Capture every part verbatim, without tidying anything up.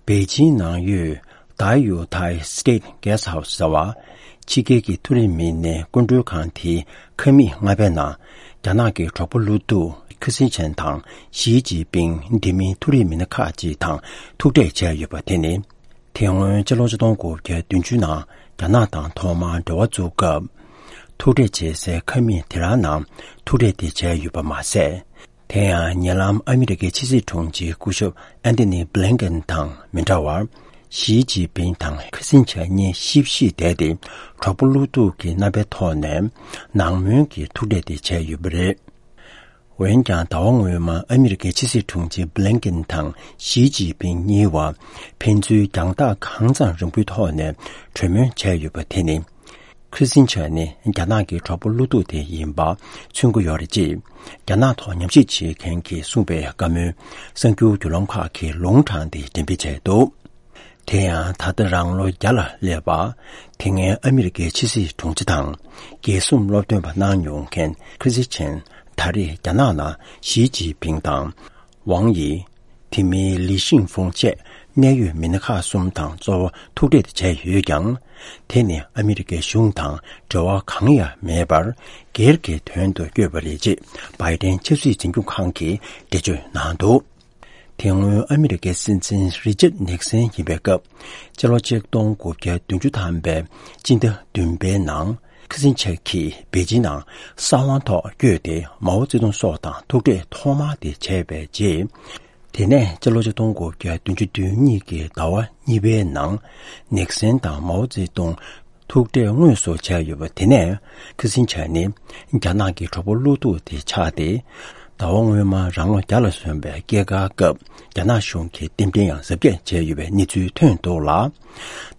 པེ་ཅིང་ནང་ཡོད་ད་ཡུ་ཐའི་State Guest House ཟེར་བ། ཕྱི་རྒྱལ་གྱི་མཐོ་རིམ་མི་སྣའི་སྐུ་མགྲོན་ཁང་དེའི་ཁང་མིག་ལྔ་པའི་ནང་། རྒྱ་ནག་གི་གྲོགས་པོ་བློ་སྡུག་ཁི་སིན་ཆན་དང་ཞི་ཅིན་ཕིང་། དེ་མིན་མཐོ་རིམ་མི་སྣ་ཁག་ཅིག་དང་ཐུག་འཕྲད་བྱས་ཡོད་པ་དེ་ནི། དེ་སྔོན་ཕྱི་ལོ་ཆིག་སྟོང་དགུ་བརྒྱ་བདུན་ཅུ་ནང་རྒྱ་ནག་དང་ཐོག་མར་འབྲེལ་བ་བཙུགས་སྐབས། ཐུག་འཕྲད་བྱེད་སའི་ཁང་མིག་དེ་རང་ནང་ཐུག་འཕྲད་དེ་བྱས་ཡོད་པ་མ་ཟད། དེ་ཡང་ཉེ་ལམ་ཨ་མི་རི་ཀའི་ཕྱི་སྲིད་དྲུང་ཆེ་སྐུ་ཞབས་ཨན་ཐོ་ནི་བྷི་ལིན་ཀེན་དང་མི་འདྲ་བར། ཞི་ཅིན་ཕིང་དང་ཁི་སིན་ཆན་གཉིས་གཤིབ་གཤིབ་བསྡད་དེ། གྲོགས་པོ་བློ་སྡུག་གི་རྣམ་པའི་ཐོག་ནས་ནང་མོལ་གྱི་ཐུག་འཕྲད་དེ་བྱས་ཡོད་པ་རེད། འོན་ཀྱང་། ཟླ་བ་སྔོན་མ་ཨ་མི་རི་ཀའི་ཕྱི་སྲིད་དྲུང་ཆེ་བྷི་ལིན་ཀེན་དང་ཞི་ཅིན་ཕིང་གཉིས་བར་ཕན་ཚུན་རྒྱང་ཐག་གང་ཙམ་རིང་པོའི་ཐོག་ནས་གྲོས་མོལ་བྱས་ཡོད་པ་དེ་ནི། ཁི་སིན་ཆན་ནི་རྒྱ་ནག་གི་གྲོགས་པོ་བློ་སྡུག་དེ་ཡིན་པ་མཚོན་གྱི་ཡོད་རེད་ཅེས། རྒྱ་ནག་ཐོག་ཉམས་ཞིབ་བྱེད་མཁན་གྱིས་གསུངས་པའི་བཀའ་མོལ་གསར་འགྱུར་བརྒྱུད་ལམ་ཁག་གིས་ལུང་དྲངས་ཏེ་འགྲེམས་སྤེལ་བྱས་འདུག་དེ་ཡང་ད་ལྟ་རང་ལོ་བརྒྱ་ལ་སླེབས་པ། དེ་སྔའི་ཨ་མི་རི་ཀའི་ཕྱི་སྲིད་དྲུང་ཆེ་དང་། རྒྱལ་སྲུང་སློབ་སྟོན་པ་གནང་མྱོང་མཁན་ཁི་སི་ཆན་ད་རེས་རྒྱ་ནག་ནང་ཞི་ཅིན་ཕིང་དང་། ཝང་དབྱི། དེ་མིན་ལི་ཤིང་ཧྥུང་བཅས་གནད་ཡོད་མི་སྣ་ཁག་གསུམ་དང་གཙོ་བོ་ཐུག་འཕྲད་བྱས་ཡོད་ཀྱང་། དེ་ནི་ཨ་མི་རི་ཀའི་གཞུང་དང་འབྲེལ་བ་གང་ཡང་མེད་པར། སྒེར་གྱི་དོན་དུ་བསྐྱོད་པ་རེད་ཅེས་བྷའི་ཏན་ཆབ་སྲིད་འཛིན་སྐྱོང་ཁང་གིས་འགྲེལ་བརྗོད་གནང་འདུག་དེ་སྔོན་ཨ་མི་རི་ཀའི་སྲིད་འཛིན་རི་ཅར་ནིག་སན་ཡིན་པའི་སྐབས། སྤྱི་ལོ་ཆིག་སྟོང་དགུ་བརྒྱ་བདུན་ཅུ་ཐམ་པའི་སྤྱི་ཟླ་བདུན་པའི་ནང་། ཁི་སིན་ཆན་གྱིས་པེ་ཅིན་ནང་གསང་བ་ཐོག་བསྐྱོད་དེ་མའོ་ཙེ་ཏུང་སོགས་དང་ཐུག་འཕྲད་ཐོག་མ་དེ་བྱས་པའི་རྗེས། དེ་ནས་སྤྱི་ལོ་ཆིག་སྟོང་དགུ་བརྒྱ་བདུན་ཅུ་དོན་གཉིས་ཀྱི་ཟླ་བ་གཉིས་པའི་ནང་། ནིག་སན་དང་མའོ་ཙེ་ཏུང་ཐུག་འཕྲད་དངོས་སུ་བྱས་ཡོད་པ་དེ་ནས། ཁི་སིན་ཆན་ནི་རྒྱ་ནག་གི་གྲོགས་པོ་བློ་སྡུག་དེ་ཆགས་ཏེ། ཟླ་བ་སྔོན་མ་རང་ལོ་བརྒྱ་ལ་སོན་པའི་སྐྱེས་སྐར་སྐབས་རྒྱ་ནག་གཞུང་གིས་རྟེན་འབྲེལ་ཡང་གཟབ་རྒྱས་བྱས་ཡོད་པའི་གནས་ཚུལ་ཐོན་འདུག་ལ།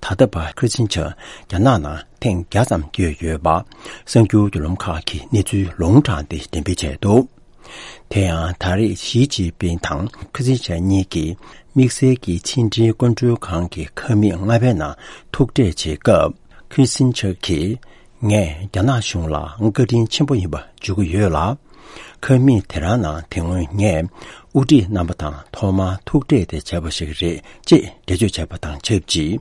ད་ལྟ་བར་ཁི་སིན་ཆན་རྒྱ་ནག་ནང་ཐེངས་བརྒྱ་ཙམ་བསྐྱོད་ཡོད་པ། གསར་འགྱུར་བརྒྱུད་ལམ་ཁག་གིས་གནས་ཚུལ་ལུང་དྲངས་ཏེ་འགྲེམས་སྤེལ་བྱས་འདུག་དེ་ཡང་ད་རེས་ཞི་ཅིན་ཕིང་དང་ཁི་སིན་ཆན་གཉིས་ཀྱིས་དམིགས་བསལ་གྱི་ཕྱི་འབྲེལ་སྐུ་མགྲོན་ཁང་གི་ཁང་མིག་ལྔ་པའི་ནང་ཐུག་འཕྲད་བྱེད་སྐབས། ཁི་སིན་ཆན་གྱིས། ངས་རྒྱ་ནག་གཞུང་ལ་བཀའ་དྲིན་ཆེན་པོ་ཡིན་པ་བརྗོད་ཀྱི་ཡོད་ལ། ཁང་མིག་དེ་རང་ནང་དེ་སྔོན་ངས་དབུ་ཁྲིད་རྣམ་པ་དང་ཐོག་མར་ཐུག་འཕྲད་དེ་བྱས་པ་ཞིག་རེད་ཅེས་འགྲེལ་བརྗོད་བྱས་པ་དང་ཆབས་ཅིག་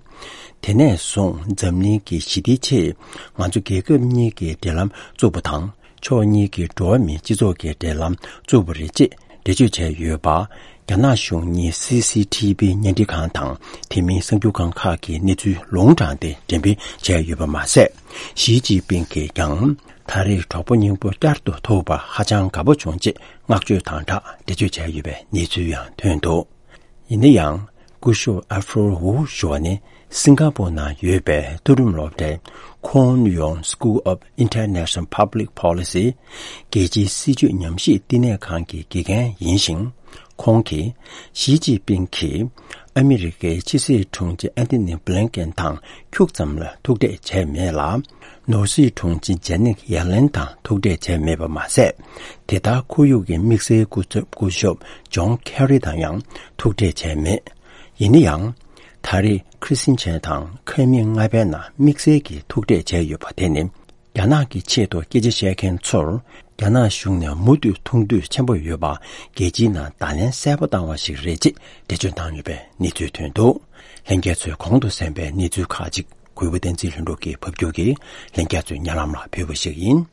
དེ་ནས་བཟུང་འཛམ་གླིང་གི་ཞི་བདེའི་ཆེད་ང་ཚོ་རྒྱལ་ཁབ་གཉིས་ཀྱི་འབྲེལ་ལམ་བཙུགས་པ་དང་། ཕྱོགས་གཉིས་ཀྱི་འགྲོ་བ་མིའི་སྤྱི་ཚོགས་ཀྱི་འབྲེལ་ལམ་བཙུགས་པ་རེད་ཅེས་འགྲེལ་བརྗོད་བྱས་ཡོད་པ། རྒྱ་ནག་གཞུང་གཉིས་སི་སི་ཐི་བི་བརྙན་འཕྲིན་ཁང་དང་དེ་མིན་གསར་འགྱུར་ཁང་ཁག་གིས་གནས་ཚུལ་ལུང་དྲངས་ཏེ་འགྲེམས་སྤེལ་བྱས་ཡོད་པ་མ་ཟད། ཞི་ཅིན་ཕིང་གིས་ཀྱང་ད་རེས་གྲོགས་པོ་སྙིང་པོ་བསྐྱར་དུ་ཐུག་པར་ཧ་ཅང་དགའ་པོ་བྱུང་ཅེས་བསྔགས་བརྗོད་དང་སྦྲགས་འགྲེལ་བརྗོད་བྱས་ཡོད་པའི་གནས་ཚུལ་ཡང་ཐོན་འདུག་ཡིན་ན་ཡང་། སྐུ་ཞབས་ཨ་ཧྥོར་ཝུ་ཞུ་བ་ནི་སིང་ག་པོར་ནང་ཡོད་པའི་མཐོ་རིམ་སློབ་གྲྭའི་Kwon Yong School of International Public Policy རྒྱལ་སྤྱིའི་སྲིད་བྱུས་ཉམས་ཞིབ་བསྟི་གནས་ཁང་གི་དགེ་རྒན་ཡིན་ཞིང་། ཁོང་གིས་ཞི་ཅིན་ཕིང་གིས་ཨ་མི་རི་ཀའི་ཕྱི་སྲིད་དྲུང་ཆེ་ཨན་ཐི་ནི་བྷི་ལིན་ཀེན་དང་ཁྱུག་ཙམ་ལ་ཐུག་འཕྲད་བྱས་མེད་ལ། ནོར་སྲིད་དྲུང་ཆེ་ཇེ་ནེད་ཡེ་ལེན་དང་ཐུག་འཕྲད་བྱས་མེད་པ་མ་ཟད། དེ་ལྟར་ཁོར་ཡུག་གི་དམིགས་བསལ་སྐུ་ཚབ་སྐུ་ཞབས་ཇོན་ཁེ་རི་དང་ཡང་ཐུག་འཕྲད་བྱས་མེད། ཡིན་ན་ཡང་། ད་རེས་ཁི་སིན་ཆན་དང་ཁང་མིག་ལྔ་པའི་ནང་དམིགས་བསལ་གྱི་ཐུག་འཕྲད་བྱས་ཡོད་པ་དེ་ནི། རྒྱ་ནག་གི་ཆེད་དུ་སྐད་ཆ་བཤད་མཁན་ཚོར། རྒྱ་ནག་གཞུང་ནས་མུ་མཐུད་མཐོང་འདོད་ཆེན་པོ་ཡོད་པ། རྒྱལ་སྤྱིའི་ནང་བརྡ་ལན་གསལ་པོ་བཏང་བ་ཞིག་རེད་ཅེས་འགྲེལ་བརྗོད་བཏང་ཡོད་པའི་གནས་ཚུལ་ཐོན་འདུག་ལྷན་རྒྱས་ཚོས་གོང་དུ་གསན་པའི་གནས་ཚུལ་ཁག་ཅིག་གུས་པ་བསྟན་འཛིན་ལྷུན་གྲུབ་ཀྱིས་ཕབ་སྒྱུར་གྱིས་ལྷན་རྒྱས་ཚོའི་སྙན་ལམ་ལ་ཕུལ་བ་ཞིག་ཡིན།